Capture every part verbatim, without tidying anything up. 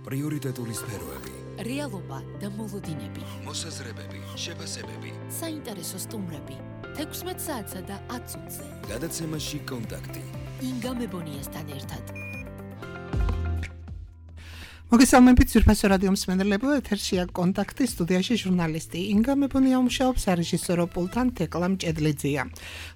პრიორიტეტული სფეროები, რეალობა და მოლოდინები, მოსაზრებები, შეფასებები, საინტერესო სტუმრები, თექვსმეტ საათსა და ათს ოცზე. გადაცემაში კონტაქტი. ინგა მებონიასთან ერთად. მოგესალმებით ძვირფასო რადიო მსმენელებო, ეთერშია კონტაქტი, სტუდიაში ჟურნალისტი ინგა მებონია მუშაობს, რეჟისორო პულტთან თეკლა მჭედლიძეა.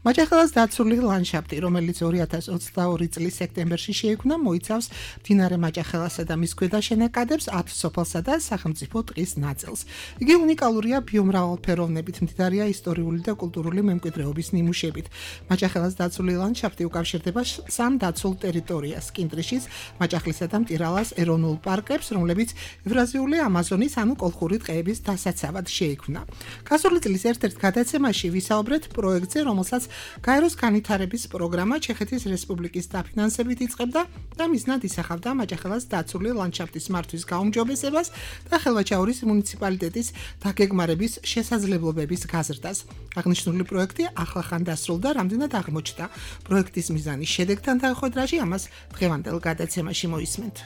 მაჯახელას დაცული ლანდშაფტი, რომელიც ორი ათას ოცდაორი წლის სექტემბერში შეიქმნა, მოიცავს მდინარე მაჯახელასა და მის ქვედა შენაკადებს, ათ სოფელსა და სახელმწიფო ტყის ნაწილს. იგი უნიკალურია ბიომრავალფეროვნებით, მდიდარია ისტორიული და კულტურული მემკვიდრეობის ნიმუშებით. მაჯახელას დაცული ლანდშაფტი უკავშირდება სამ დაცულ ტერიტორიას: კინტრიშის, მაჯახლისა და მტირალას ეროვნულ პარკს, რომლებიც ევრაზიული ამაზონის ანუ კოლხური ტყეების დასაცავად შეიქმნა. გასული წლის ერთ-ერთ გადაცემაში ვისაუბრეთ პროექტზე, რომელსაც გაეროს განვითარების პროგრამა ჩეხეთის რესპუბლიკის დაფინანსებით იწყებდა და მიზნად ისახავდა მაჯახელას დაცული ლანდშაფტის მართვის გაუმჯობესებას და ხელვაჩაურის მუნიციპალიტეტის დაგეგმარების შესაძლებლობების გაზრდას. აღნიშნული პროექტი ახლახან დასრულდა, რამდენად აღმოჩნდა პროექტის მიზანი შედეგთან დაუხვედრაში, ამას დღევანდელ გადაცემაში მოისმენთ.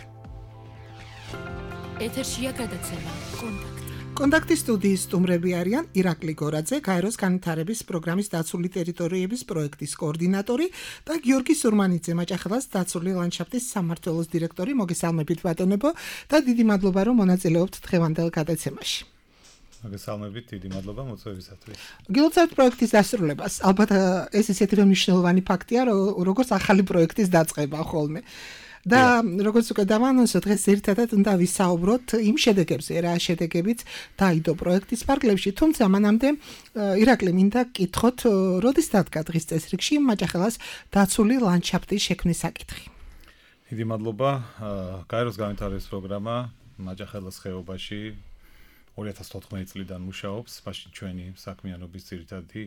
ეთერშია გადაცემა კონტაქტი. კონტაქტის სტუდიის სტუმრები არიან ირაკლი გორაძე, გაეროს განვითარების პროგრამის დაცული ტერიტორიების პროექტის კოორდინატორი და გიორგი სურმანიძე, მაჯახელას დაცული ლანდშაფტის სამმართველოს დირექტორი. მოგესალმებით ბატონებო და დიდი მადლობა, რომ მონაწილეობთ დღევანდელ გადაცემაში. მოგესალმებით, დიდი მადლობა მოწვევისათვის. გილოცავთ პროექტის დასრულებას. ალბათ ეს ისეთი რომ მნიშვნელოვანი ფაქტია, როგორც ახალი პროექტის დაწყება ხოლმე. და როგორც უკვე დავანონსოთ, დღეს ერთადად უნდა ვისაუბროთ იმ შედეგებზე, რა შედეგებიც დაიდო პროექტის ფარგლებში, თუმცა მანამდე ირაკლი მინდა გკითხოთ, როდის დადგა დღის წესრიგში მაჯახელას დაცული ლანდშაფტის შექმნის საკითხი. დიდი მადლობა. გაეროს განვითარების პროგრამა მაჯახელას ხეობაში ორი ათას თოთხმეტი წლიდან მუშაობს, მაშინ ჩვენი საქმიანობის ძირითადი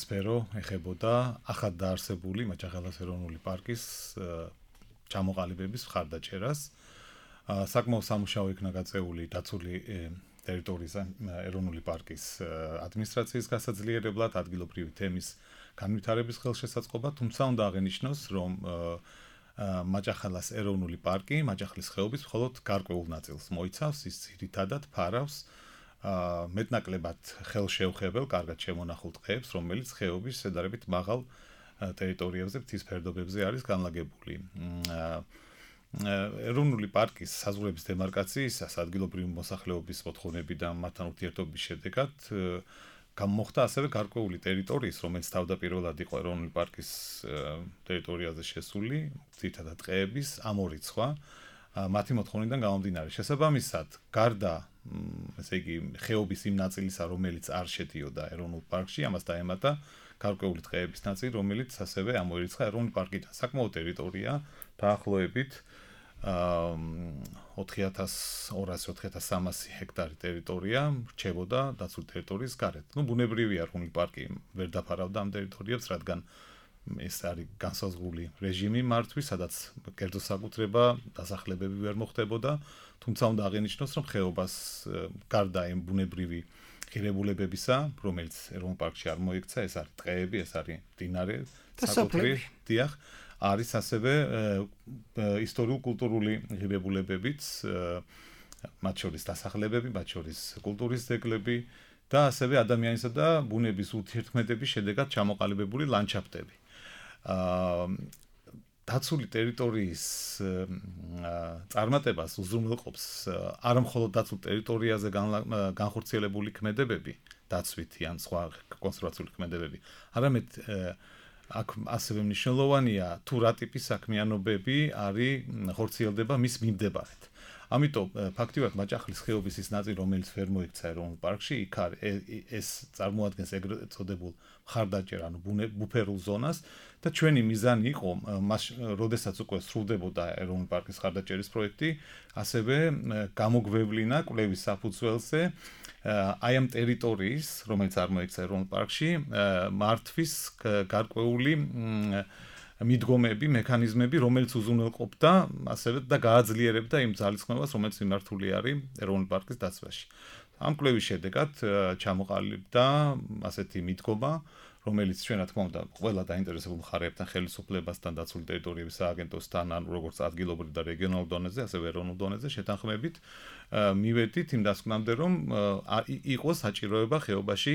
სფერო ეხებოდა ახალ დაარსებული მაჯახელას ეროვნული პარკის ჩამოყალიბების მხარდაჭერას. საკმაოდ სამუშაო იქნა გაწეული დაცული ტერიტორიის ეროვნული პარკის ადმინისტრაციის გასაძლიერებლად, ადგილობრივი თემის განვითარების ხელშესაწყობად, თუმცა უნდა აღინიშნოს, რომ მაჯახელას ეროვნული პარკი მაჯახლის ხეობის მხოლოდ გარკვეულ ნაწილს მოიცავს, ის ძირითადად ფარავს მეტნაკლებად ხელშეუხებელ, კარგად შემონახულ ტყეებს, რომელიც ხეობის შედარებით მაღალ ტერიტორიებზე, მთის ფერდობებზე არის განლაგებული. ეროვნული პარკის საზღვრების დემარკაციის, ადგილობრივი მოსახლეობის მოთხოვნები და მათთან ურთიერთობის შედეგად გამოხდა ასევე გარკვეული ტერიტორიის, რომელიც თავდაპირველად იყო ეროვნული პარკის ტერიტორიაზე შესული, ძირითადად ტყეების ამორიცხვა, მათი მოთხოვნიდან გამომდინარე. შესაბამისად, გარდა ესე იგი ხეობის იმ ნაწილისა, რომელიც არ შედიოდა ეროვნულ პარკში, ამას დაემატა გარკვეული ტყეების ნაწილი, რომელიც ასევე ამოერიცხა ეროვნული პარკიდან. საკმაო ტერიტორია დაახლოებით ოთხი ათას ორასი ოთხი ათას სამასი ჰექტარი ტერიტორია რჩებოდა დაცული ტერიტორიის გარეთ. ნუ ბუნებრივია, ეროვნული პარკი ვერ დაფარავდა ამ ტერიტორიებს, რადგან ეს არის განსაზღვრული რეჟიმი მართვის, სადაც კერძო საკუთრება, დასახლებები ვერ მოხდებოდა, თუმცა უნდა აღინიშნოს, რომ ხეობას გარდა იმ ბუნებრივი ღირებულებებისა, რომელიც ეროვნულ პარკში არ მოექცა, ეს არის ტყეები, ეს არის მდინარე, საკუთრი, დიახ, არის ასევე ისტორიულ-კულტურული ღირებულებებიც, მათ შორის დასახლებები, მათ შორის კულტურის ძეგლები და ასევე ადამიანისა და ბუნების ურთიერთქმედების შედეგად ჩამოყალიბებული ლანდშაფტები. დაცული ტერიტორიის წარმატებას უზრუნველყოფს არა მხოლოდ დაცულ ტერიტორიაზე განხორციელებული ქმედებები, დაცვითი ან სხვა კონსერვაციული ქმედებები, არამედ აქ ასევე მნიშვნელოვანია თუ რა ტიპის საქმიანობები არის ხორციელდება მის მიმდებარედ. ამიტომ ფაქტიურად მაჯახლის ხეობის ის ნაწილი, რომელიც ვერ მოექცა ეროვნულ პარკში, იქ ეს წარმოადგენს ეგრეთ წოდებულ მხარდაჭერ, ანუ ბუფერულ ზონას და ჩვენი მიზანი იყო, როდესაც უკვე სრულდებოდა ეროვნული პარკის მხარდაჭერის პროექტი, ასევე გამოგვევლინა კვლევის საფუძველზე აი ამ ტერიტორიის, რომელიც არ მოექცა ეროვნულ პარკში, მართვის გარკვეული მიდგომები, მექანიზმები, რომელიც უზრუნველყოფდა ასევე და გააძლიერებდა იმ ძალისხმევას, რომელიც მიმართული არის ეროვნული პარკის დაცვაში. ამ კვლევის შედეგად ჩამოყალიბდა ასეთი მიდგომა, რომელიც ჩვენ რა თქმა უნდა ყველა დაინტერესებულ მხარეებთან ხელისუფლებასთან დაცული ტერიტორიების სააგენტოსთან ან როგორც ადგილობრივ და რეგიონალურ დონეზე, ასევე ეროვნულ დონეზე შეთანხმებით მივედით იმ დასკვნამდე, რომ იყოს საჭიროება ხეობაში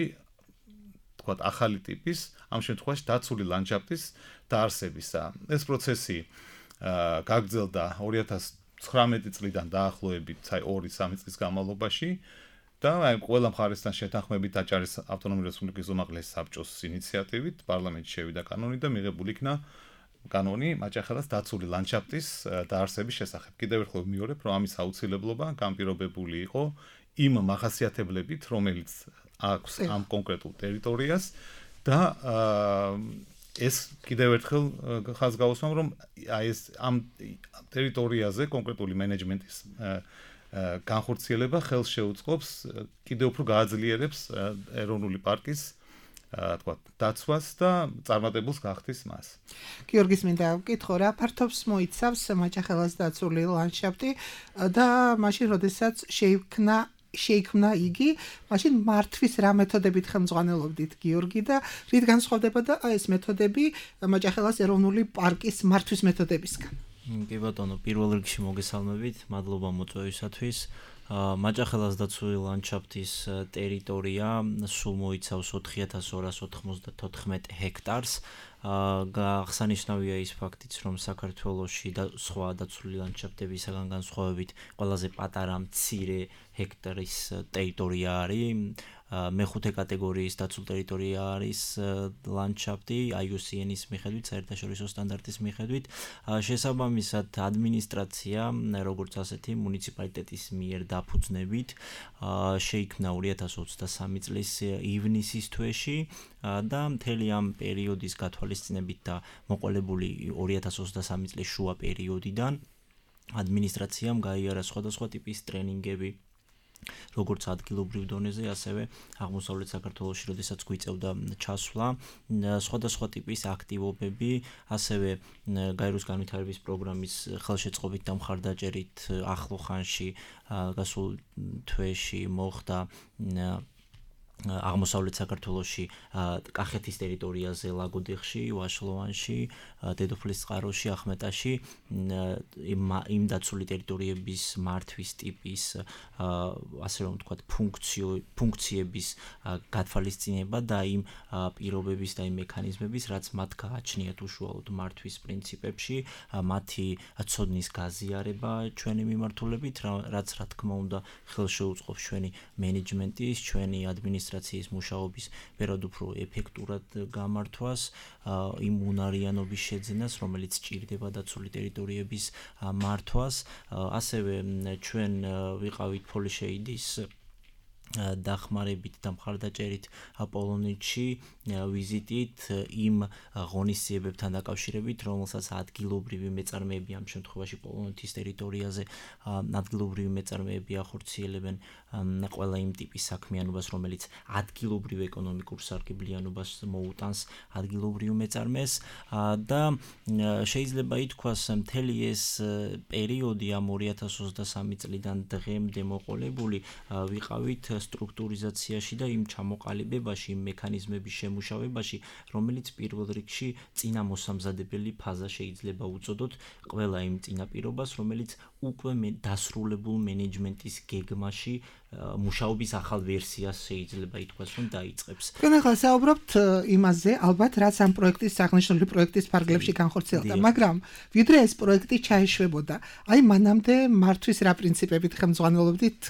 თქვათ ახალი ტიპის, ამ შემთხვევაში დაცული ლანდშაფტის დაარსებისა. ეს პროცესი გაგრძელდა ორი ათას ცხრამეტი წლიდან დაახლოებით, აი ორი სამი წლის განმავლობაში და აი ყველა მხარესთან შეთანხმებით აჭარის ავტონომიური რესპუბლიკის უმაღლესი საბჭოს ინიციატივით პარლამენტში შევიდა კანონი და მიღებული იქნა კანონი მაჭახელას დაცული ლანდშაფტის დაარსების შესახებ. კიდევ ერთხელ ვიმეორებ, რომ ამის აუცილებლობა განპირობებული იყო იმ მახასიათებლებით, რომელიც აქვს ამ კონკრეტულ ტერიტორიას და ეს კიდევ ერთხელ ხაზს გავუსვამ, რომ აი ეს ამ ტერიტორიაზე კონკრეტული მენეჯმენტის განხორციელება ხელს შეუწყობს კიდევ უფრო გააძლიერებს ეროვნული პარკის თქვა დაცვას და წარმატებულს გახდის მას. გიორგის მინდა ვკითხო რა ფართობს მოიცავს მაჭახელას დაცული ლანდშაფტი და მაშინ როდესაც შეიქმნა შეიქმნა იგი, მაშინ მართვის რა მეთოდებით ხელმძღვანელობდით გიორგი და რით განსხვავდებოდა ეს მეთოდები მაჭახელას ეროვნული პარკის მართვის მეთოდებისგან? კი ბატონო, პირველ რიგში მოგესალმებით, მადლობა მოწვევისათვის. მაჭახელას დაცული ლანდშაფტის ტერიტორია სულ მოიცავს ოთხი ათას ორას ოთხმოცდათოთხმეტ ჰექტარს. აღსანიშნავია ის ფაქტიც, რომ საქართველოში და სხვა დაცული ლანდშაფტებისაგან განსხვავებით ყველაზე პატარა მცირე ჰექტარის ტერიტორია არის. მეხუთე კატეგორიის დაცულ ტერიტორია არის ლანდშაფტი აი იუ სი ენის მიხედვით, საერთაშორისო სტანდარტის მიხედვით. შესაბამისად, ადმინისტრაცია, როგორც ასეთი მუნიციპალიტეტის მიერ დაფუძნებით, შეიქმნა ორი ათას ოცდასამი წლის ივნისის თვეში და მთელი ამ პერიოდის გათვალისწინებით და მოყოლებული ორი ათას ოცდასამი წლის შუა პერიოდიდან ადმინისტრაციამ გაიარა სხვადასხვა ტიპის ტრენინგები, როგორც ადგილობრივ დონეზე, ასევე აღმოსავლეთ საქართველოში, როდესაც გვიწევდა ჩასვლა, სხვადასხვა ტიპის აქტივობები, ასევე გაეროს განვითარების პროგრამის ხელშეწყობით და მხარდაჭერით ახლო ხანში გასულ თვეში მოხდა აღმოსავლეთ საქართველოში, კახეთის ტერიტორიაზე, ლაგოდეხში, ვაშლოვანში, დედოფლის წყაროში, ახმეტაში იმ დაცული ტერიტორიების მართვის ტიპის, ასე რომ ვთქვათ, ფუნქციების გათვალისწინება და იმ პირობების და იმ მექანიზმების, რაც მათ გააჩნიათ უშუალოდ მართვის პრინციპებში, მათი ცოდნის გაზიარება ჩვენი მიმართულებით, რაც რა თქმა უნდა ხელს შეუწყობს ჩვენი მენეჯმენტის, ჩვენი ადმინისტრაციის მუშაობის ვერად უფრო ეფექტურად გამართვას, იმ უნარიანობის შეძენას, რომელიც ჭირდება დაცული ტერიტორიების მართვას. ასევე ჩვენ ვიყავით პოლიშეიდის დახმარებით და მხარდაჭერით პოლონეთში ვიზიტით იმ ღონისძიებებთან დაკავშირებით, რომელსაც ადგილობრივი მეწარმეები ამ შემთხვევაში პოლონეთის ტერიტორიაზე ადგილობრივი მეწარმეები ახორციელებენ ყველა იმ ტიპის საქმიანობას, რომელიც ადგილობრივ ეკონომიკურ სარგებლიანობას მოუტანს ადგილობრივ მეწარმეს და შეიძლება ითქვას, მთელი ეს პერიოდი ამ ორი ათას ოცდასამი წლიდან დღემდე მოყოლებული ვიყავით სტრუქტურიზაციაში და იმ ჩამოყალიბებაში, იმ მექანიზმების შემუშავებაში, რომელიც პირველ რიგში წინამოსამზადებელი ფაზა შეიძლება უწოდოთ ყველა იმ წინაპირობას, რომელიც უკვე დასრულებულ მენეჯმენტის გეგმაში მუშაობის ახალ ვერსიას შეიძლება ითქვას, რომ დაიწყებს. თქვენ ახლა საუბრობთ იმაზე, ალბათ, რაც ამ პროექტის აღნიშნული პროექტის ფარგლებში განხორციელდა, მაგრამ ვიდრე ეს პროექტი ჩაეშვებოდა, აი მანამდე მართვის რა პრინციპებით ხელმძღვანელობდით,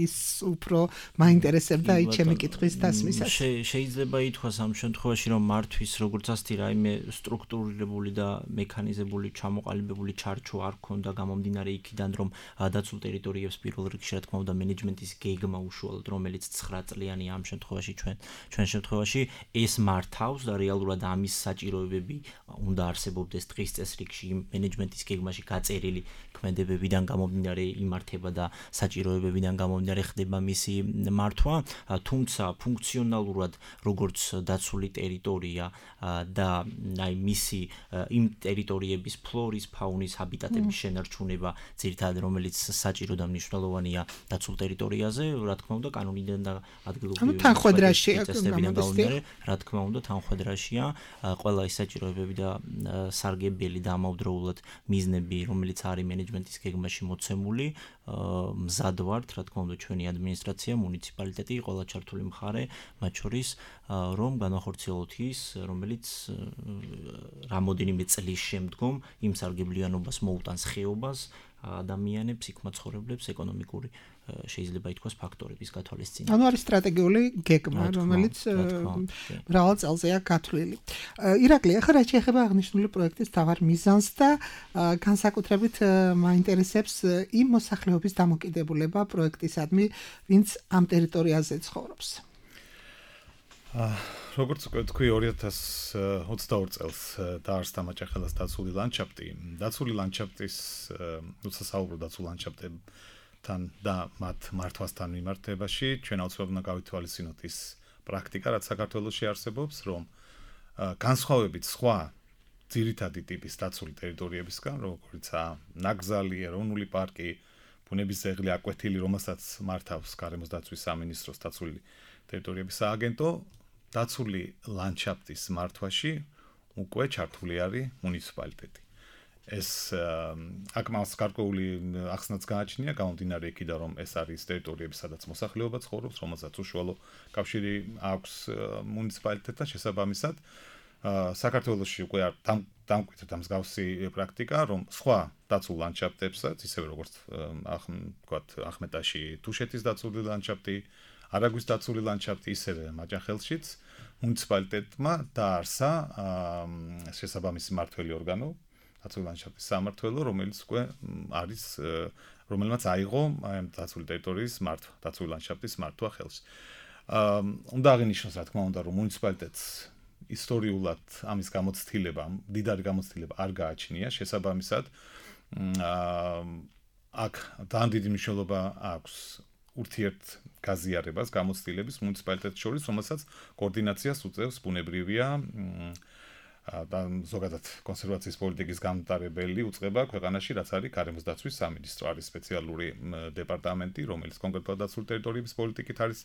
ის უფრო მაინტერესებდა აი ჩემი კითხვის დასმისას. შეიძლება ითქვას ამ შემთხვევაში, რომ მართვის როგორც ასეთი რაიმე სტრუქტურირებული და მექანიზებული ჩამოყალიბებული ჩარჩო არ ქონდა გამომდინარე იქიდან, რომ დაცულ ტერიტორიებს პირველ რიგში რა თქმა უნდა მენეჯმენტის გეგმა უშუალოდ, რომელიც ცხრა წლიანი ამ შემთხვევაში ჩვენ ჩვენ შემთხვევაში ეს მართავს და რეალურად ამის საჭიროებები უნდა არსებობდეს დღის წესრიგში მენეჯმენტის გეგმაში გაწერილი ქმედებებიდან გამომდინარე იმართება და საჭიროებებიდან გამომდინარე ხდება მისი მართვა, თუმცა ფუნქციონალურად როგორც დაცული ტერიტორია და აი მისი იმ ტერიტორიების ფლორის, ფაუნის, ჰაბიტატების შენარჩუნება იწება ძირითადად რომელიც საჭირო და მნიშვნელოვანია დაცულ ტერიტორიაზე, რა თქმა უნდა, კანონიდან და ადგილობრივი წესდებიდან გამომდინარე, რა თქმა უნდა, თანხმდრაშია ყველა ის საჭიროებები და სარგებელი და ამავდროულად მიზნები, რომელიც არის მენეჯმენტის გეგმაში მოცემული, მზად ვართ, რა თქმა უნდა, ჩვენი ადმინისტრაცია, მუნიციპალიტეტი, ყველა ჩართული მხარე, მათ შორის, რომ განახორციელოთ ის, რომელიც რამოდენიმე წლის შემდგომ იმ სარგებლიანობას მოუტანს ხეობას, ადამიანებს, იქ მაცხოვრებლებს, ეკონომიკური შეიძლება ითქვას ფაქტორების გათვალისწინება. ანუ არის სტრატეგიული გეგმა, რომელიც მრავალ წელზეა გათვლილი. ირაკლი, ახლა რაც შეეხება აღნიშნული პროექტის მთავარ მიზანს და განსაკუთრებით მაინტერესებს იმ მოსახლეობის დამოკიდებულება პროექტისადმი, ვინც ამ ტერიტორიაზე ცხოვრობს. როგორც თქვი ორი ათას ოცდაორი წელს დაარსდა მაჭახელას დაცული ლანდშაფტი. დაცული ლანდშაფტის, როცა საუბრობ დაცულ ლანდშაფტებთან და მათ მართვასთან მიმართებაში, ჩვენ აუცილებლად უნდა გავითვალისწინოთ ის პრაქტიკა, რაც საქართველოში არსებობს, რომ განსხვავებით სხვა ძირითადი ტიპის დაცული ტერიტორიებისგან, როგორიცაა ნაკრძალი, ეროვნული პარკი, ბუნების ძეგლი, აკვეთილი, რომელსაც მართავს გარემოს დაცვის სამინისტროს დაცული ტერიტორიების სააგენტო, დაცული ლანდშაფტის მართვაში უკვე ჩართული არის მუნიციპალიტეტი. ეს აქ მას გარკვეული ახსნაც გააჩნია, გამომდინარე იქიდან, რომ ეს არის ტერიტორიები, სადაც მოსახლეობა ცხოვრობს, რომელსაც უშუალო კავშირი აქვს მუნიციპალიტეტთან შესაბამისად. საქართველოში უკვე დამკვიდრდა მსგავსი პრაქტიკა, რომ სხვა დაცულ ლანდშაფტებსაც, ისევე როგორც ვთქვათ, ახმეტაში თუშეთის დაცული ლანდშაფტი, არაგვის დაცული ლანდშაფტი, ისევე მაჭახელშიც მუნიციპალიტეტმა დაარსა შესაბამისი მმართველი ორგანო, დაცული ლანდშაფტის სამმართველო, რომელიც უკვე არის, რომელმაც აიღო ამ დაცული ტერიტორიის მართვა, დაცული ლანდშაფტის მართვა ხელში. უნდა აღინიშნოს, რა თქმა უნდა, რომ მუნიციპალიტეტს ისტორიულად ამის გამოცდილება, მდიდარი გამოცდილება არ გააჩნია, შესაბამისად აქ ძალიან დიდი მნიშვნელობა აქვს ურთიერთ გაზიარებას გამოცდილების მუნიციპალიტეტს შორის, რომელსაც კოორდინაციას უწევს ბუნებრივია და ზოგადად კონსერვაციის პოლიტიკის გამტარებელი უწყება ქვეყანაში, რაც არის გარემოს დაცვის სამინისტრო, არის სპეციალური დეპარტამენტი, რომელიც კონკრეტულად დაცული ტერიტორიების პოლიტიკით არის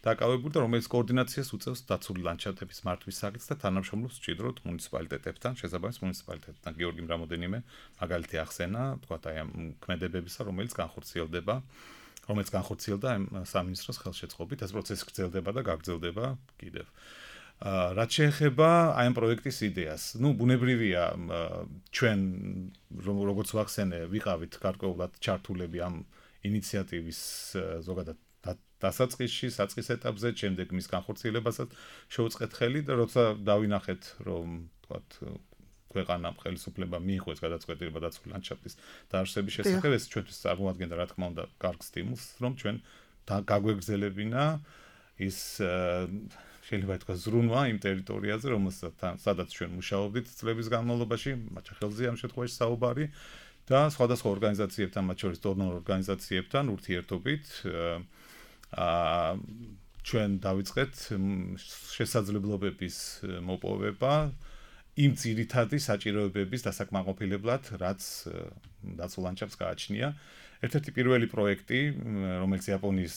დაკავებული და რომელიც კოორდინაციას უწევს დაცული ლანდშაფტების მართვის საკითხს და თანამშრომლობს მჭიდროდ მუნიციპალიტეტებთან, შესაბამის მუნიციპალიტეტთან. გიორგიმ რამოდენიმე მაგალითი ახსენა, თქვათ აი ამ ქმედებებისა, რომელიც განხორციელდება რომელიც განხორციელდა ამ სამინისტროს ხელშეწყობით, ეს პროცესი გრძელდება და გაგრძელდება კიდევ. რაც შეეხება აი ამ პროექტის იდეას, ну, ბუნებრივია ჩვენ როგორც ვახსენე, ვიყავით გარკვეულად ჩართულები ამ ინიციატივის ზოგადად დასაწყისში, საწყის ეტაპზე, შემდეგ მის განხორციელებასაც შეუწყეთ ხელი და როცა დავინახეთ, რომ თქვათ ქვეყანამ ხელისუფლება მიიღო ეს გადაწყვეტილება დაცული ლანდშაფტის დაარსების შესახებ, ეს ჩვენთვის წარმოადგენდა, რა თქმა უნდა, კარგ სტიმულს, რომ ჩვენ გაგვეგრძელებინა ის შეიძლება ითქვას ზრუნვა იმ ტერიტორიაზე, რომელსაც სადაც ჩვენ მუშაობდით წლების განმავლობაში, მაჭახელზე ამ შემთხვევაში საუბარი და სხვადასხვა ორგანიზაციებთან, მათ შორის დონორ ორგანიზაციებთან ურთიერთობით აა ჩვენ დავიწყეთ შესაძლებლობების მოპოვება იმ ძირითადი საჭიროებების დასაკმაყოფილებლად, რაც დაცულ ლანდშაფტს გააჩნია. ერთ-ერთი პირველი პროექტი, რომელიც იაპონიის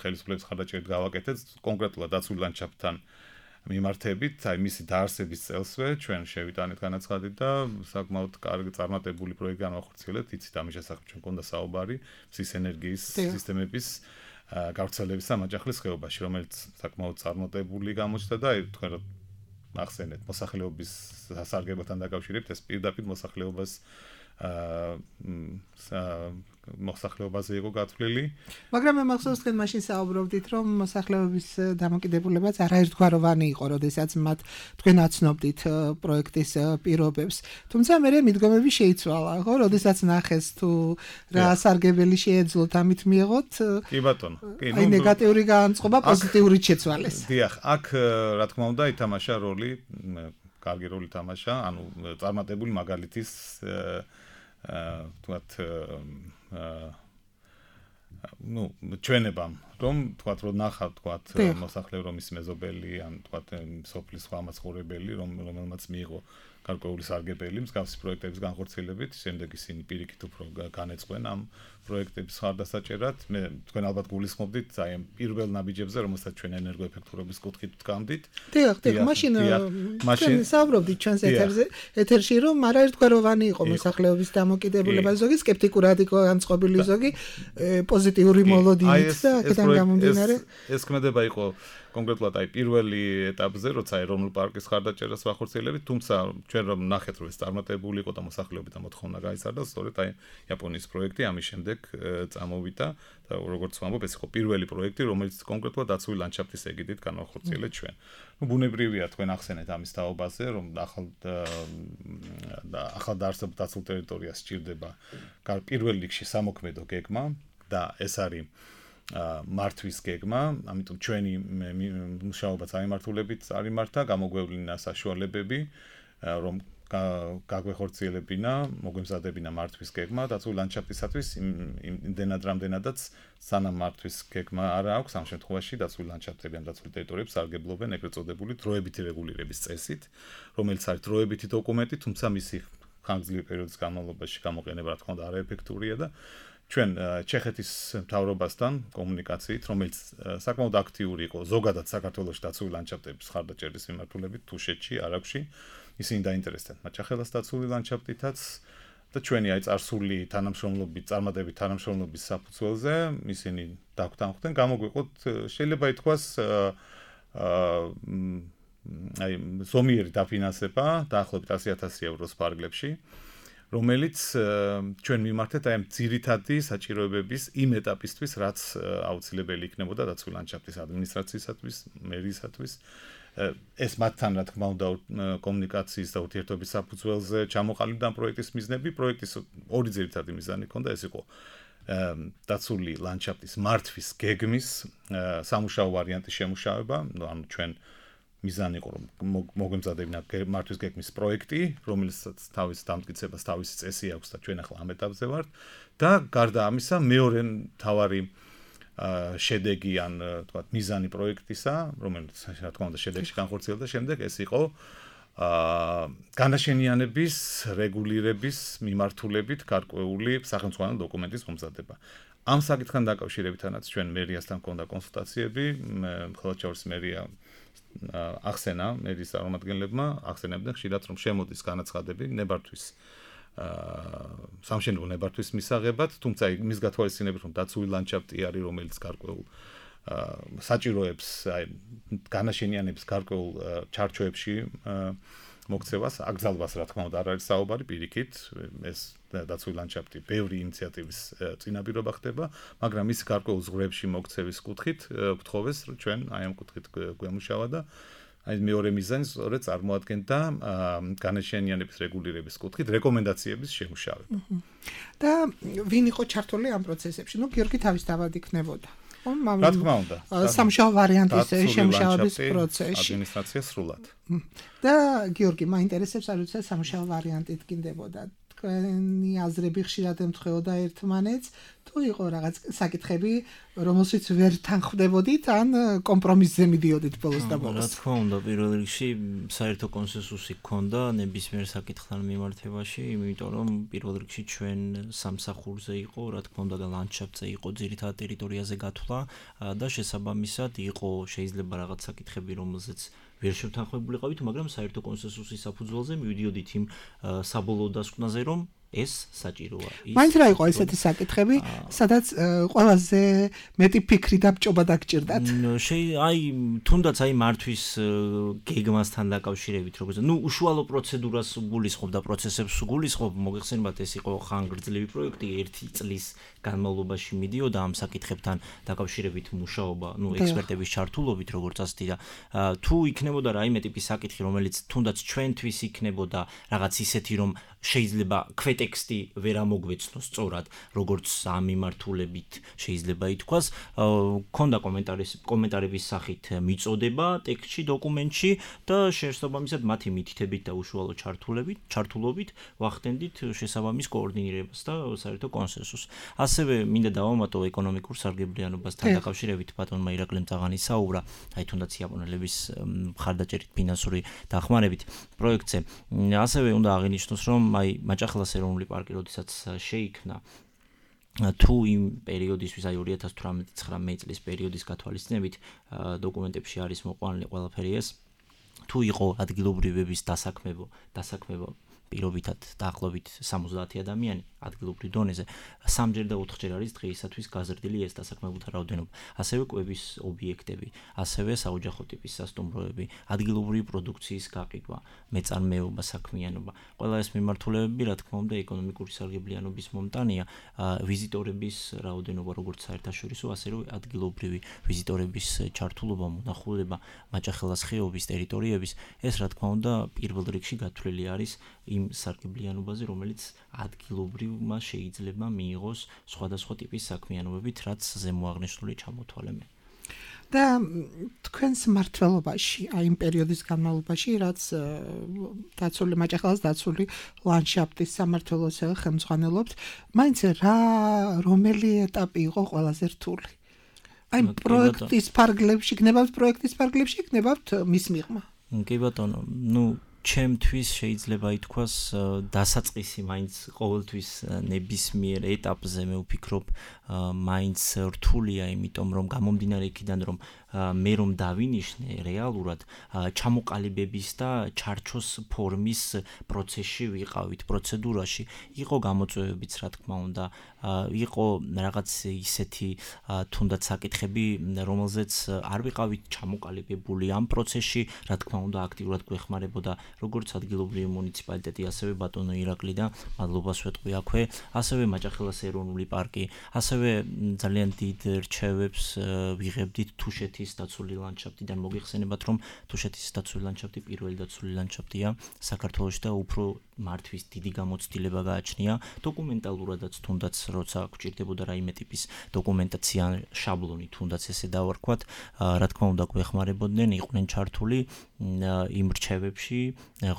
ხელისუფლების ხარდაჭერით გავაკეთეთ, კონკრეტულად დაცულ ლანდშაფტთან მიმართებით, აი მისი დაარსების წელსვე ჩვენ შევიტანეთ განაცხადით და საკმაოდ კარგი წარმატებული პროექტი განვახორციელებთ, იცით ამის შესახებ ჩვენ გქონდა საუბარი, მზის ენერგიის სისტემების გავრცელების და მაჭახლის ხეობაში, რომელიც საკმაოდ წარმატებული გამოჩნდა და აი თქვენ ახსენეთ მოსახლეობის სასარგებლოთან დაკავშირებით, ეს პირდაპირ მოსახლეობას აა მოსახლეობაზე იყო გათვლილი. მაგრამ მე მახსოვს თქვენ მაშინ საუბრობდით, რომ მოსახლეობის დამოკიდებულებაც არაერთგვაროვანი იყო, როდესაც მათ თქვენ აცნობდით პროექტის პირობებს. თუმცა მე მიდგომები შეიცვალა, ხო, როდესაც ნახეს თუ რა სარგებელი შეეძლოთ ამით მიიღოთ. კი ბატონო, კი, ნუ აი ნეგატიური განწყობა პოზიტიურით შეცვალეს. დიახ, აქ რა თქმა უნდა ითამაშა როლი, კარგი როლი თამაშა, ანუ წარმატებული მაგალითის აა თქვათ ну, ჩვენებამ, რომ თქვათ, რომ ნახავ, თქვათ, მოსახლე რომ ის მეზობელი, ან თქვათ, სოფლის სხვა მაცხოვრებელი, რომ რომელმაც მიიღო გარკვეული სარგებელი მსგავსი პროექტების განხორციელებით, შემდეგ ისინი პირიქით უფრო განეწყვენ ამ პროექტების ხარდასაჭერად. მე თქვენ ალბათ გულისხმობდით აი ამ პირველ ნაბიჯებზე, რომელსაც ჩვენ ენერგოეფექტურობის კუთხით ვდგამდით. დიახ, დიახ, მაშინ მაშინ საუბრობდით ჩვენს ეთერზე, ეთერში რომ არა ერთგვაროვანი იყო მოსახლეობის დამოკიდებულება, ზოგი სკეპტიკურად იყო განწყობილი, ზოგი პოზიტიური მოლოდინით და აქედან გამომდინარე ეს ქმედება იყო კონკრეტულად აი პირველი ეტაპზე, როცა ეროვნულ პარკის ხარდაჭერას ვახორციელებით, თუმცა ჩვენ რომ ნახეთ რომ ეს წარმატებული იყო და მოსახლეობიდან მოთხოვნა გაიზარდა, სწორედ აი იაპონიის პროექტი ამის შემდეგ წამოვიდა და როგორც ვამბობ, ეს იყო პირველი პროექტი, რომელიც კონკრეტულად დაცული ლანდშაფტის ეგიდით განვახორციელეთ ჩვენ. ნუ ბუნებრივია თქვენ ახსენეთ ამის თაობაზე, რომ ახალ და ახალ დაარსებულ დაცულ ტერიტორიას სჭირდება პირველ რიგში სამოქმედო გეგმა და ეს არის მართვის გეგმა, ამიტომ ჩვენი მუშაობა წამიმართულებით წარიმართა, გამოგვევლინა საშუალებები, რომ გაგვეხორციელებინა, მოგვემზადებინა მართვის გეგმა დაცული ლანდშაფტისათვის, იმდენად რამდენადაც სანამ მართვის გეგმა არ აქვს, ამ შემთხვევაში დაცული ლანდშაფტები ან დაცული ტერიტორიები სარგებლობენ ეგრეთ წოდებული დროებითი რეგულირების წესით, რომელიც არის დროებითი დოკუმენტი, თუმცა მისი ხანგრძლივი პერიოდის განმავლობაში გამოყენება რა თქმა უნდა არაეფექტურია და ჩვენ ჩეხეთის მთავრობასთან კომუნიკაციით, რომელიც საკმაოდ აქტიური იყო ზოგადად საქართველოში დაცული ლანდშაფტების ხარდაჭერის მიმართულებით თუშეთში, არაგვში, ისინი დაინტერესდნენ მაჭახელას დაცული ლანდშაფტითაც და ჩვენი აი წარსული თანამშრომლობის, წარმატებით თანამშრომლობის საფუძველზე ისინი დაგვთანხმდნენ, გამოგვიყოთ შეიძლება ითქვას აი ზომიერი დაფინანსება დაახლოებით ასი ათასი ევროს ფარგლებში, რომელიც ჩვენ მიმართეთ აი ამ ძირითადი საჭიროებების იმ ეტაპისთვის, რაც აუცილებელი იქნებოდა დაცული ლანდშაფტის ადმინისტრაციისათვის, მერიისათვის. ეს მათთან რა თქმა უნდა კომუნიკაციის და ურთიერთობის საფუძველზე ჩამოყალიბდა პროექტის მიზნები. პროექტის ორი ძირითადი მიზანი ჰქონდა, ეს იყო დაცული ლანდშაფტის მართვის გეგმის სამუშაო ვარიანტის შემუშავება, ანუ ჩვენ მიზანი იყო რომ მოგვემზადებინა მართვის გეგმის პროექტი, რომელსაც თავის დამტკიცებას თავისი წესი აქვს და ჩვენ ახლა ამ ეტაპზე ვართ და გარდა ამისა მეორე მთავარი შედეგი ან თქვათ მიზანი პროექტისა, რომელიც რა თქმა უნდა შედეგში განხორციელდა შემდეგ, ეს იყო განაშენიანების რეგულირების მიმართულებით გარკვეული სახელმწიფო დოკუმენტის მომზადება. ამ საკითხთან დაკავშირებითაც ჩვენ მერიასთან ჰქონდა კონსულტაციები, ხელმძღვანელის მერია ახსენა მერის წარმომადგენლებმა, ახსენებდნენ ხშირად რომ შემოდის განაცხადები ნებართვის სამშენებლო ნებართვის მისაღებად, თუმცა იმის გათვალისწინებით რომ დაცული ლანდშაფტი არის, რომელიც გარკვეულ საჭიროებს, აი განაშენიანების გარკვეულ ჩარჩოებში მოქცევას, აკრძალვას რა თქმა უნდა არ არის საუბარი პირიქით, ეს დაცული ლანდშაფტი ბევრი ინიციატივის წინაპირობა ხდება, მაგრამ ის გარკვეულ ზღვრებში მოქცევის კუთხით გთხოვეს, რომ ჩვენ აი ამ კუთხით გვემუშავა და აი მეორე მიზანი სწორედ წარმოადგენდა განაშენიანების რეგულირების კუთხით რეკომენდაციების შემუშავება. და ვინ იყო ჩართული ამ პროცესებში? ნუ გიორგი თავისთავად იქნებოდა. რა თქმა უნდა. სამშაბათო ვარიანტის შემუშავების პროცესში. ადმინისტრაცია სრულად. და გიორგი, მაინტერესებს არ ვიცი სამშაბათო ვარიანტი დგინდებოდა. თქვენი აზრები ხშირად ემთხვეოდა ერთმანეთს, თუ იყო რაღაც საკითხები, რომელშიც ვერ თანხმდებოდით, ან კომპრომისზე მიდიოდით ბოლოს და ბოლოს. რა თქმა უნდა, პირველ რიგში საერთო კონსენსუსი ჰქონდა ნებისმიერ საკითხთან მიმართებაში, იმიტომ რომ პირველ რიგში ჩვენ სამსახურზე იყო, რა თქმა უნდა, ლანდშაფტზე იყო ძირითად ტერიტორიაზე გათვლა და შესაბამისად იყო შეიძლება რაღაც საკითხები, რომელზეც ვერ შევთანხმებულიყავით, მაგრამ საერთო კონსენსუსის საფუძველზე მივიდიოდით იმ საბოლოო დასკვნაზე, რომ ეს საჭიროა. მაინც რა იყო ესეთი საკითხები, სადაც ყველაზე მეტი ფიქრი და ბჭობა დაგჭირდათ? აი, თუნდაც აი მართვის გეგმასთან დაკავშირებით, როგორც ნუ უშუალო პროცედურას გულისხმობ და პროცესებს გულისხმობ, მოგეხსენებათ, ეს იყო ხანგრძლივი პროექტი, ერთი წლის განმავლობაში მიდიოდა ამ საკითხებთან დაკავშირებით მუშაობა, ნუ ექსპერტების ჩართულობით, როგორც ასეთი და თუ იქნებოდა რაიმე ტიპის საკითხი, რომელიც თუნდაც ჩვენთვის იქნებოდა რაღაც ისეთი, რომ შეიძლება ქვეთ პრეტექსტი ვერ ამოგვეცნოს სწორად, როგორც ამ მიმართულებით შეიძლება ითქვას, ქონდა კომენტარის კომენტარების სახით მიწოდება ტექსტში, დოკუმენტში და შესაბამისად მათი მითითებით და უშუალო ჩართულებით, ჩართულობით ვახდენდით შესაბამის კოორდინირებას და საერთო კონსენსუსს. ასევე მინდა დავამატო ეკონომიკურ სარგებლიანობასთან დაკავშირებით ბატონმა ირაკლი მწაღანი საუბრა, აი თუნდაც იაპონელების მხარდაჭერით ფინანსური დახმარებით პროექტზე. ასევე უნდა აღინიშნოს, რომ აი მაჭახელას ეროვნული პარკი როდესაც შეიქმნა თუ იმ პერიოდისთვის, აი ორი ათას თვრამეტი წლის პერიოდის გათვალისწინებით დოკუმენტებში არის მოყვანილი ყველაფერი ეს, თუ იყო ადგილობრივების დასაქმებო, დასაქმებო პირობითად დაახლოებით სამოცდაათი ადამიანი ადგილობრივ დონეზე, სამჯერ და ოთხჯერ არის დღეისათვის გაზრდილი ეს დასაქმებულთა რაოდენობა. ასევე კვების ობიექტები, ასევე საოჯახო ტიპის სასტუმროები, ადგილობრივი პროდუქციის გაყიდვა, მეწარმეობა, საქმიანობა. ყველა ეს მიმართულებები, რა თქმა უნდა, ეკონომიკური სარგებლიანობის მომტანია, ვიზიტორების რაოდენობა, როგორც საერთაშორისო, ასევე ადგილობრივი ვიზიტორების ჩართულობა, მონახულება, მაჭახელას ხეობის ტერიტორიების, ეს რა თქმა უნდა, პირველ რიგში გათვლილი არის იმ სარგებლიანობაზე, რომელიც ადგილობრივმა შეიძლება მიიღოს სხვადასხვა ტიპის საქმიანობებით, რაც ზემოაღნიშნული ჩამოთვალე მე. და თქვენს მმართველობაში, აი იმ პერიოდის განმავლობაში, რაც დაცული მაჭახელას დაცული ლანდშაფტის სამმართველოს ხელმძღვანელობთ, მაინც რა რომელი ეტაპი იყო ყველაზე რთული? აი პროექტის ფარგლებში, გნებავთ პროექტის ფარგლებში, გნებავთ მის მიღმა. კი ბატონო, ნუ ჩემთვის შეიძლება ითქვას დასაწყისი მაინც ყოველთვის ნებისმიერ ეტაპზე მე ვფიქრობ მაინც რთულია, იმიტომ რომ გამომდინარე იქიდან რომ მე რომ დავინიშნე რეალურად ჩამოყალიბების და ჩარჩოს ფორმის პროცესში ვიყავით, პროცედურაში იყო გამოწვევებიც რა თქმა უნდა, იყო რაღაც ისეთი თუნდაც საკითხები, რომელზეც არ ვიყავით ჩამოყალიბებული ამ პროცესში, რა თქმა უნდა აქტიურად გვეხმარებოდა როგორც ადგილობრივი მუნიციპალიტეტი, ასევე ბატონო ირაკლი და მადლობას ვეტყვი აქვე, ასევე მაჭახელას ეროვნული პარკი, ასევე ძალიან დიდ რჩევებს ვიღებდით თუშეთის დაცული ლანდშაფტიდან. მოგიხსენებათ, რომ თუშეთის დაცული ლანდშაფტი პირველი დაცული ლანდშაფტია საქართველოში და უფრო მართვის დიდი გამოცდილება გააჩნია დოკუმენტალურადაც, თუნდაც როცა გვჭირდებოდა რაიმე ტიპის დოკუმენტაცია, შაბლონი, თუნდაც ესე დავარქვათ, რა თქმა უნდა გვეხმარებოდნენ, იყვნენ ჩართული იმ რჩევებში,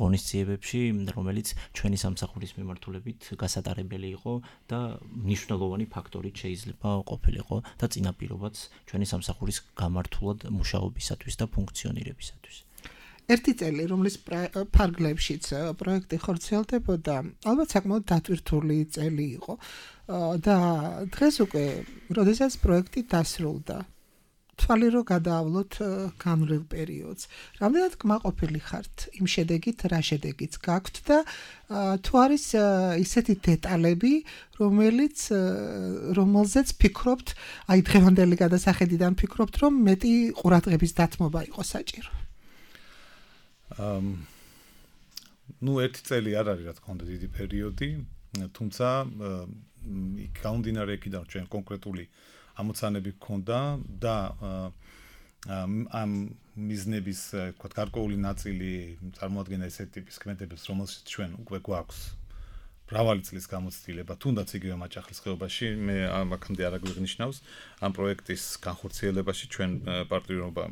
ღონისძიებებში, რომელიც ჩვენი სამსახურის მიმართულებით გასატარებელი იყო და მნიშვნელოვანი ფაქტორი შეიძლება ყოფილიყო და წინაპირობაც ჩვენი სამსახურის გამართულად მუშაობისათვის და ფუნქციონირებისათვის. ერთი წელი, რომლის ფარგლებშიც პროექტი ხორციელდებოდა, ალბათ საკმაოდ დატვირთული წელი იყო და დღეს უკვე, როდესაც პროექტი დასრულდა, თვალი რო გადაავლოთ განვლილ პერიოდს. რამდენად კმაყოფილი ხართ იმ შედეგით, რა შედეგიც გაქვთ და თუ არის ისეთი დეტალები, რომელიც რომელზეც ფიქრობთ, აი დღევანდელი გადასახედიდან ფიქრობთ, რომ მეტი ყურადღების დათმობა იყო საჭირო. ნუ ერთი წელი არ არის რა თქმა უნდა დიდი პერიოდი, თუმცა გამომდინარე იქიდან ჩვენ კონკრეტული ამოცანები გქონდა და ამ მიზნების, თქვათ, გარკვეული ნაწილი წარმოადგენდა ესეთი ტიპის ქმედებებს, რომელშიც ჩვენ უკვე გვაქვს მრავალი წლის გამოცდილება, თუნდაც იგივე მაჭახლის ხეობაში, მე აქამდე არ აგვიღნიშნავს ამ პროექტის განხორციელებაში ჩვენ პარტნიორობა,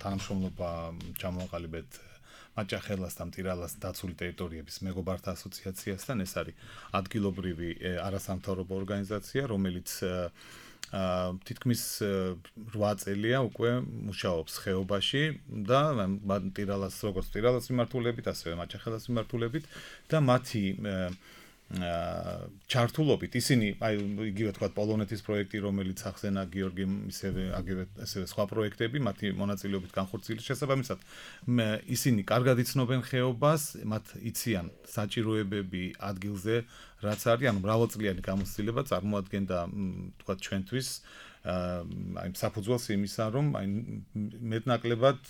თანამშრომლობა ჩამოვაყალიბეთ მაჭახელას და მტირალას დაცული ტერიტორიების მეგობართა ასოციაციასთან. ეს არის ადგილობრივი არასამთავრობო ორგანიზაცია, რომელიც თითქმის რვა წელია უკვე მუშაობს ხეობაში და მტირალას როგორც მტირალას მიმართულებით, ასევე მაჭახელას მიმართულებით და მათი ჩართულობით ისინი, აი იგივე თქვა პოლონეთის პროექტი, რომელიც ახსენა გიორგიმ, ისევე აგივე ასევე სხვა პროექტები, მათი მონაწილეობით განხორციელების შესაბამისად, ისინი კარგად იცნობენ ხეობას, მათ იციან საჭიროებები ადგილზე, რაც არის, ანუ მრავალწლიანი გამოცდილება წარმოადგენდა, თქვა ჩვენთვის, აი საფუძველს იმისა, რომ აი მეტნაკლებად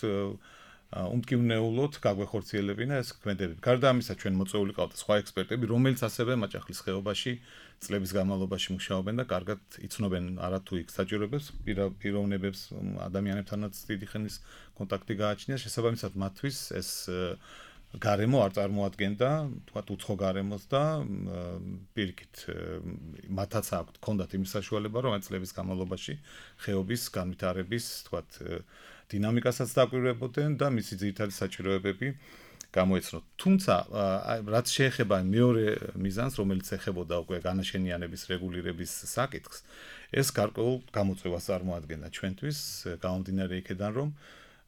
უმტკივნეულოდ გაგვეხორციელებინა ეს ქმედებები. გარდა ამისა, ჩვენ მოწვეული ყავდა სხვა ექსპერტები, რომელიც ასევე მაჭახლის ხეობაში წლების განმავლობაში მუშაობენ და კარგად იცნობენ არათუ იქ საჭიროებებს, პიროვნებებს, ადამიანებთანაც დიდი ხნის კონტაქტი გააჩნია. შესაბამისად, მათთვის ეს გარემო არ წარმოადგენდა, თქვათ უცხო გარემოს და პირიქით მათაც აქვთ კონდათ იმის საშუალება, რომ ამ წლების განმავლობაში ხეობის განვითარების, თქვათ, დინამიკასაც დაკვირვებოდნენ და მისი ძირითადი საჭიროებები გამოეცნოთ. თუმცა, რაც შეეხება მეორე მიზანს, რომელიც ეხებოდა უკვე განაშენიანების რეგულირების საკითხს, ეს გარკვეულ გამოწვევას წარმოადგენდა ჩვენთვის, გამომდინარე იქედან, რომ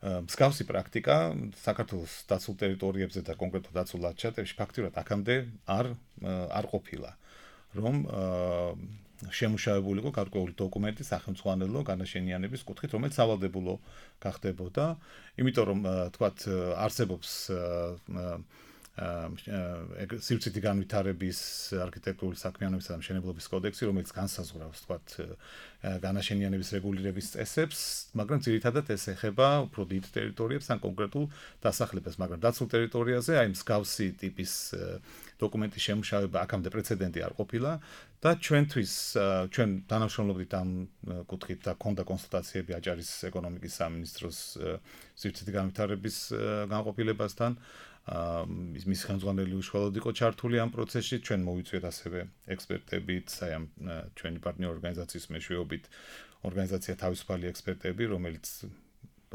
მსგავსი პრაქტიკა საქართველოს დაცულ ტერიტორიებზე და კონკრეტულად დაცულ ლანდშაფტებში ფაქტიურად აქამდე არ არ ყოფილა, რომ შემუშავებული იყო გარკვეული დოკუმენტი სახელმწიფო განაშენიანების კუთხით, რომელიც სავალდებულო გახდებოდა, იმიტომ რომ თქვათ არსებობს სივრცითი განვითარების არქიტექტურული საქმიანობისა და მშენებლობის კოდექსი, რომელიც განსაზღვრავს თქვათ განაშენიანების რეგულირების წესებს, მაგრამ ძირითადად ეს ეხება უფრო დიდ ტერიტორიებს ან კონკრეტულ დასახლებას, მაგრამ დაცულ ტერიტორიაზე აი მსგავსი ტიპის დოკუმენტის შემუშავება აქამდე პრეცედენტი არ ყოფილა და ჩვენთვის ჩვენ თანამშრომლობდით ამ კუთხით და ქონდა კონსულტაციები აჭარის ეკონომიკის სამინისტროს სივრცითი განვითარების განყოფილებასთან. მის ხელმძღვანელი უშუალოდ იყო ჩართული ამ პროცესში, ჩვენ მოვიწვიეთ ასევე ექსპერტებით, აი ამ ჩვენი პარტნიორ ორგანიზაციის მეშვეობით ორგანიზაცია თავისუფალი ექსპერტები, რომელიც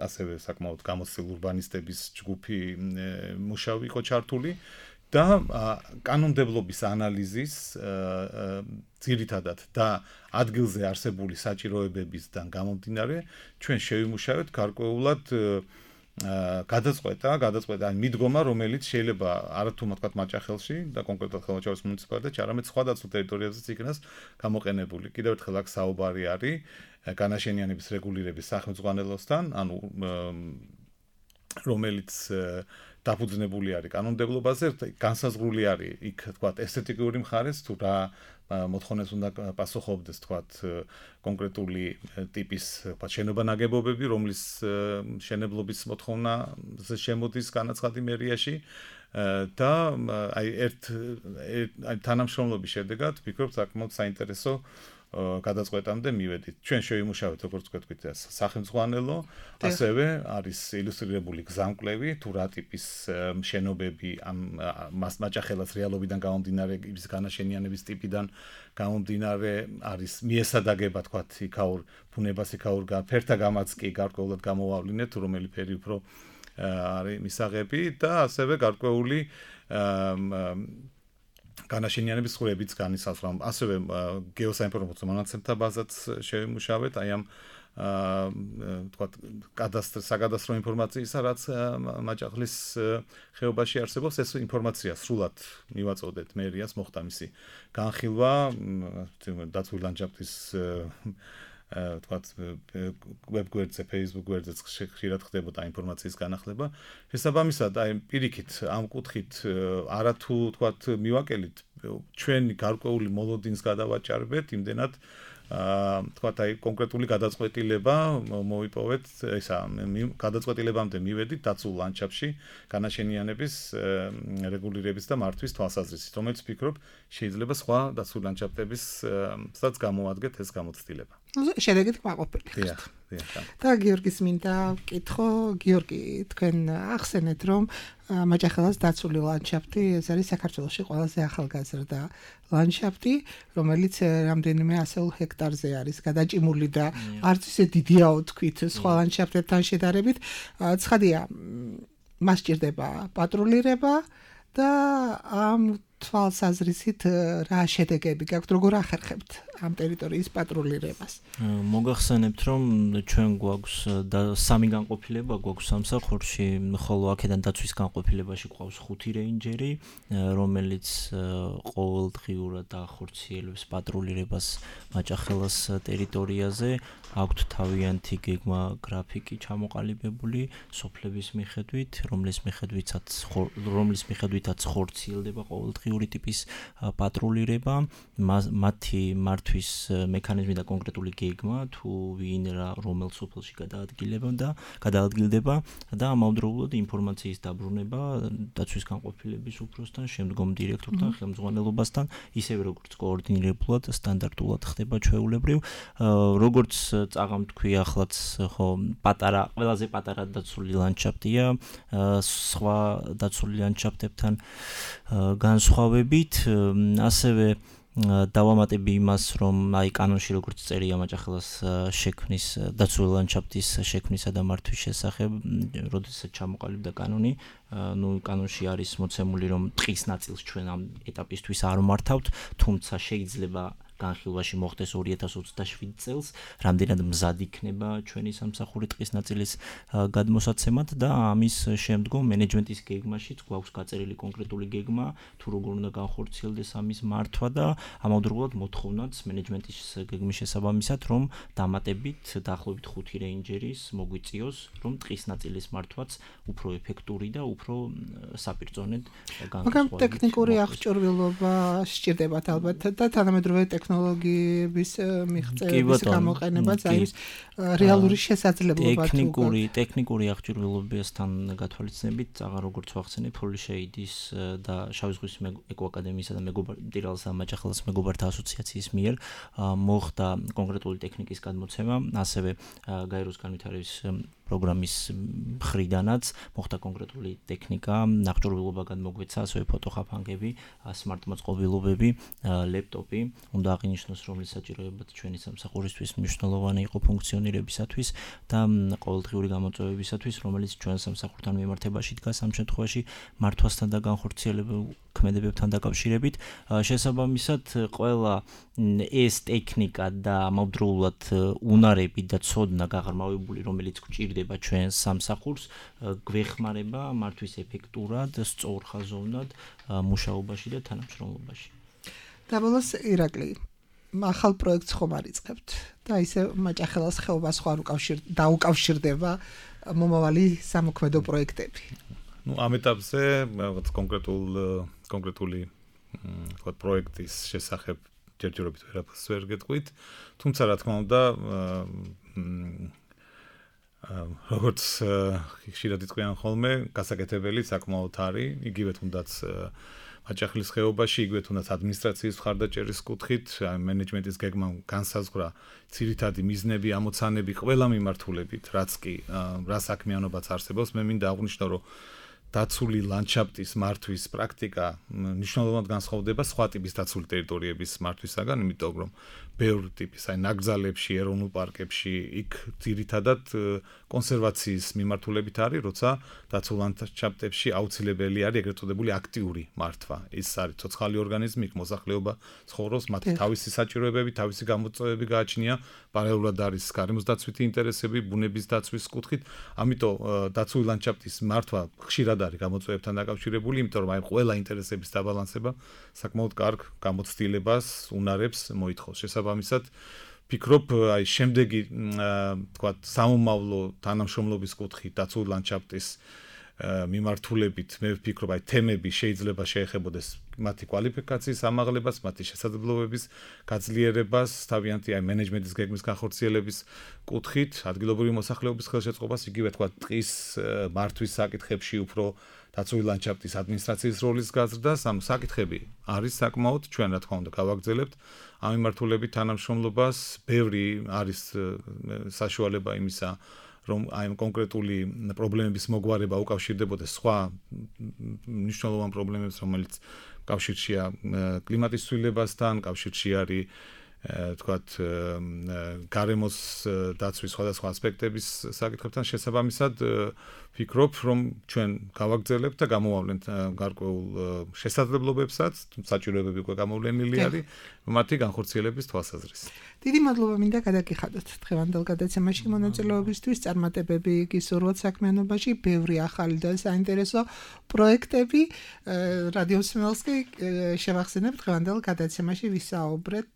ასევე საკმაოდ გამოცდილ ურბანისტების ჯგუფი მუშაობ იყო ჩართული და კანონმდებლობის ანალიზის ძირითადად და ადგილზე არსებული საჭიროებებისგან გამომდინარე, ჩვენ შევიმუშავეთ გარკვეულად გადაწყვეტა, გადაწყვეტა მიდგომა, რომელიც შეიძლება არათუ თქვათ მაჭახელში და კონკრეტულად ხელმოჩარის მუნიციპალიტეტში, არამედ სხვა დაცულ ტერიტორიებზეც იქნას გამოყენებული. კიდევ ერთხელ აქ საუბარი არის განაშენიანების რეგულირების სახელმწიფოსთან, ანუ რომელიც დაფუძნებული არის კანონმდებლობაზე, განსაზღვრული არის იქ თქვათ ესთეტიკური მხარეს, თუ რა მოთხოვნებს უნდა პასუხობდეს თქვათ კონკრეტული ტიპის თქვათ შენობა ნაგებობები, რომლის მშენებლობის მოთხოვნაზე შემოდის განაცხადი მერიაში და აი ერთ აი თანამშრომლობის შედეგად ვფიქრობ საკმაოდ საინტერესო გადაწყვეტამდე მივედით. ჩვენ შევიმუშავეთ, როგორც ვთქვით, სახელმწიფო, ასევე არის ილუსტრირებული გზამკვლევი, თუ რა ტიპის მშენობები ამ მასმაჭახელას რეალობიდან გამომდინარე, ის განაშენიანების ტიპიდან გამომდინარე არის მიესადაგება, თქვათ, იქაურ ბუნებას, იქაურ ფერთა გამაც კი გარკვეულად გამოვავლინეთ, რომელი ფერი უფრო არის მისაღები და ასევე გარკვეული განაშენიანების ხურებიც განისაზღვრა. ასევე გეოსაინფორმაციო მონაცემთა ბაზაც შევიმუშავეთ, აი ამ თქვათ კადასტრ საკადასტრო ინფორმაციისა, რაც მაჭახლის ხეობაში არსებობს, ეს ინფორმაცია სრულად მივაწოდეთ მერიას, მოხდა მისი განხილვა დაცული ლანდშაფტის თქვათ ვებ გვერდზე, Facebook გვერდზე ხშირად ხდებოდა ინფორმაციის განახლება. შესაბამისად, აი პირიქით ამ კუთხით არათუ თქვათ მივაკელით ჩვენი გარკვეული მოლოდინს გადავაჭარბეთ, იმდენად თქვათ აი კონკრეტული გადაწყვეტილება მოვიპოვეთ, ესა გადაწყვეტილებამდე მივედით დაცულ ლანდშაფტში განაშენიანების რეგულირების და მართვის თვალსაზრისით, რომელიც ვფიქრობ შეიძლება სხვა დაცულ ლანდშაფტებისაც გამოადგეთ ეს გამოცდილება. შედეგით კმაყოფილი ხართ. და გიორგის მინდა ვკითხო, გიორგი, თქვენ ახსენეთ, რომ მაჭახელას დაცული ლანდშაფტი ეს არის საქართველოში ყველაზე ახალგაზრდა ლანდშაფტი, რომელიც რამდენიმე ასეულ ჰექტარზე არის გადაჭიმული და არც ისე დიდია ვთქვით სხვა ლანდშაფტებთან შედარებით. ცხადია, მას სჭირდება პატრულირება და ამ თვალსაზრისით რა შედეგები გაქვთ, როგორ ახერხებთ ამ ტერიტორიის პატრულირებას? მოგახსენებთ, რომ ჩვენ გვაქვს სამი განყოფილება გვაქვს სამსახურში, ხოლო აქედან დაცვის განყოფილებაში გვყავს ხუთი რეინჯერი, რომელიც ყოველდღიურად ახორციელებს პატრულირებას მაჭახელას ტერიტორიაზე. აქვთ თავიანთი გეგმა გრაფიკი ჩამოყალიბებული სოფლების მიხედვით, რომლის მიხედვითაც რომლის მიხედვითაც ხორციელდება ყოველდღიური ტიპის პატრულირება. მათი მართვის მექანიზმი და კონკრეტული გეგმა თუ ვინ რა რომელ სოფელში გადაადგილება და გადაადგილდება და ამავდროულად ინფორმაციის დაბრუნება დაცვის განყოფილების უფროსთან, შემდგომ დირექტორთან, ხელმძღვანელობასთან, ისევე როგორც კოორდინირებულად სტანდარტულად ხდება ჩვეულებრივ, როგორც წაღამ თქვი ახლაც ხო პატარა ყველაზე პატარა დაცული ლანდშაფტია სხვა დაცული ლანდშაფტებთან განსხვავებით, ასევე დავამატები იმას, რომ აი კანონში როგორც წერია მაჭახელას შექმნის დაცული ლანდშაფტის შექმნისა და მართვის შესახებ, როდესაც ჩამოყალიბდა კანონი, ну კანონში არის მოცემული, რომ ტყის ნაწილს ჩვენ ამ ეტაპისთვის არ მართავთ, თუმცა შეიძლება განხილვაში მოხდეს ორი ათას ოცდაშვიდ წელს, რამდენად მზად იქნება ჩვენი სამსახური ტყის ნაწილის გადმოსაცემად და ამის შემდგომ მენეჯმენტის გეგმაშიც გვაქვს გაწერილი კონკრეტული გეგმა, თუ როგორ უნდა განხორციელდეს ამის მართვა და ამავდროულად მოთხოვნაც მენეჯმენტის გეგმის შესაბამისად, რომ დამატებით დაახლოებით ხუთი რეინჯერის მოგვიწიოს, რომ ტყის ნაწილის მართვაც უფრო ეფექტური და უფრო საპირწონედ განხორციელდეს. მაგრამ ტექნიკური აღჭურვილობა სჭირდებათ ალბათ და თანამედროვე ტექნოლოგიების მიღწევების გამოყენებაც არის რეალური შესაძლებლობა. ტექნიკური ტექნიკური აღჭურვილობასთან გათვალისწინებით, აღარ როგორც ვახსენე, ფოლიშეიდის და შავი ზღვის ეკოაკადემიისა და მეგობარ მაჭახელას მეგობართა ასოციაციის მიერ მოხდა კონკრეტული ტექნიკის გადმოცემა, ასევე გაეროს განვითარების პროგრამის მხრიდანაც მოხდა კონკრეტული ტექნიკა, აღჭურვილობა გადმოგვეცა, ასევე ფოტოხაფანგები, სმარტ-მოწყობილობები, ლეპტოპი, უნდა აღინიშნოს, რომლის საჭიროებაც ჩვენი სამსახურისთვის მნიშვნელოვანი იყო ფუნქციონირებისათვის და ყოველდღიური გამოწვევებისათვის, რომელიც ჩვენ სამსახურთან მიმართებაში დგას ამ შემთხვევაში მართვასთან და განხორციელებულ ქმედებებთან დაკავშირებით. შესაბამისად, ყველა ეს ტექნიკა და ამავდროულად უნარები და ცოდნა გაღრმავებული, რომელიც გვჭირდება ჩვენ სამსახურს, გვეხმარება მართვის ეფექტურად, სწორხაზოვნად მუშაობაში და თანამშრომლობაში. და ბოლოს ირაკლი, ახალ პროექტს ხომ არიწყებთ და ისე მაჭახელას ხეობას ხარ უკავშირ დაუკავშირდება მომავალი სამოქმედო პროექტები. ну ამ ეტაპზე რაღაც კონკრეტულ კონკრეტული თქვა პროექტის შესახებ ჯერჯერობით ვერაფერს ვერ გეტყვით, თუმცა რა თქმა უნდა როგორც ხშირად იტყვიან ხოლმე, გასაკეთებელი საკმაოდ არის, იგივე თუნდაც მაჭახელის ხეობაში, იგივე თუნდაც ადმინისტრაციის მხარდაჭერის კუთხით, აი მენეჯმენტის გეგმა განსაზღვრა ძირითადი მიზნები, ამოცანები ყველა მიმართულებით, რაც კი რა საქმიანობაც არსებობს, მე მინდა აღვნიშნო, რომ დაცული ლანდშაფტის მართვის პრაქტიკა მნიშვნელოვნად განსხვავდება სხვა ტიპის დაცული ტერიტორიების მართვისაგან, იმიტომ რომ ბევრი ტიპის, აი ნაკრძალებში, ეროვნულ პარკებში, იქ ძირითადად კონსერვაციის მიმართულებით არის, როცა დაცულ ლანდშაფტებში აუცილებელი არის ეგრეთ წოდებული აქტიური მართვა. ის არის ცოცხალი ორგანიზმი, იქ მოსახლეობა ცხოვრობს, მათი თავისი საჭიროებები, თავისი გამოწვევები გააჩნია, პარალელურად არის გარემოს დაცვითი ინტერესები, ბუნების დაცვის კუთხით, ამიტომ დაცული ლანდშაფტის მართვა ხშირად არის გამოწვევებთან დაკავშირებული, იმიტომ რომ აი ყველა ინტერესების დაბალანსება საკმაოდ კარგ გამოცდილებას, უნარებს მოითხოვს. შესაბამისად, ფიქრობ, აი შემდეგი თქვა სამომავლო თანამშრომლობის კუთხით დაცული ლანდშაფტის მიმართულებით, მე ვფიქრობ, აი თემები შეიძლება შეეხებოდეს მათი კვალიფიკაციის ამაღლებას, მათი შესაძლებლობების გაძლიერებას, თავიანთი აი მენეჯმენტის გეგმის განხორციელების კუთხით, ადგილობრივი მოსახლეობის ხელშეწყობას, იგივე თქვა ტყის მართვის საკითხებში უფრო დაცული ლანდშაფტის ადმინისტრაციის როლის გაზრდას, ამ საკითხები არის საკმაოდ, ჩვენ რა თქმა უნდა გავაგრძელებთ ამ მიმართულებით თანამშრომლობას, ბევრი არის საშუალება იმისა, რომ აი კონკრეტული პრობლემების მოგვარება უკავშირდებოდეს სხვა მნიშვნელოვან პრობლემებს, რომელიც კავშირშია კლიმატის ცვლილებასთან, კავშირში არის თქვათ გარემოს დაცვის სხვადასხვა ასპექტების საკითხებთან შესაბამისად ვფიქრობ, რომ ჩვენ გავაგრძელებთ და გამოვავლენთ გარკვეულ შესაძლებლობებსაც, საჭიროებები უკვე გამოვლენილი არის, მათი განხორციელების თვალსაზრისით. დიდი მადლობა მინდა გადაგიხადოთ დღევანდელ გადაცემაში მონაწილეობისთვის, წარმატებები გისურვოთ საქმიანობაში, ბევრი ახალი და საინტერესო პროექტები. რადიო მსმენელს კი შევახსენებ დღევანდელ გადაცემაში ვისაუბრეთ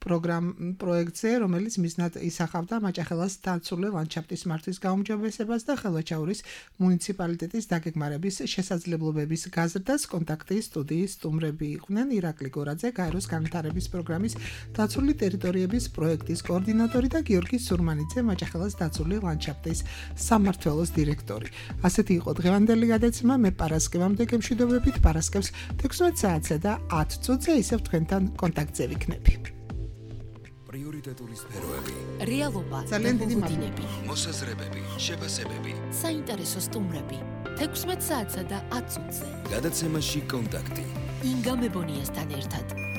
პროგრამ პროექტზე, რომელიც მიზნად ისახავდა მაჭახელას დაცული ლანდშაფტის მართვის გაუმჯობესებას და ხელვაჩაურის მუნიციპალიტეტის დაგეგმარების შესაძლებლობების გაზრდას. კონტაქტის სტუდიის სტუმრები იყვნენ ირაკლი გორაძე, გაეროს განვითარების პროგრამის დაცული ტერიტორიების პროექტის კოორდინატორი და გიორგი სურმანიძე, მაჭახელას დაცული ლანდშაფტის სამმართველოს დირექტორი. ასეთი იყო დღევანდელი გადაცემა. მე პარასკევამდე გემშვიდობებით, პარასკევს თექვსმეტ საათსა და ათ წუთზე ისევ თქვენთან კონტაქტზე ვიქნები. პრიორიტეტული სფეროები, რეალობა, ძალიან დიდი მოგოდინები, მოსაზრებები, შეფასებები. საინტერესო სტუმრები. თექვსმეტ საათსა და ათ წუთზე. გადაცემაში კონტაქტი. ინგა მებონიასთან ერთად.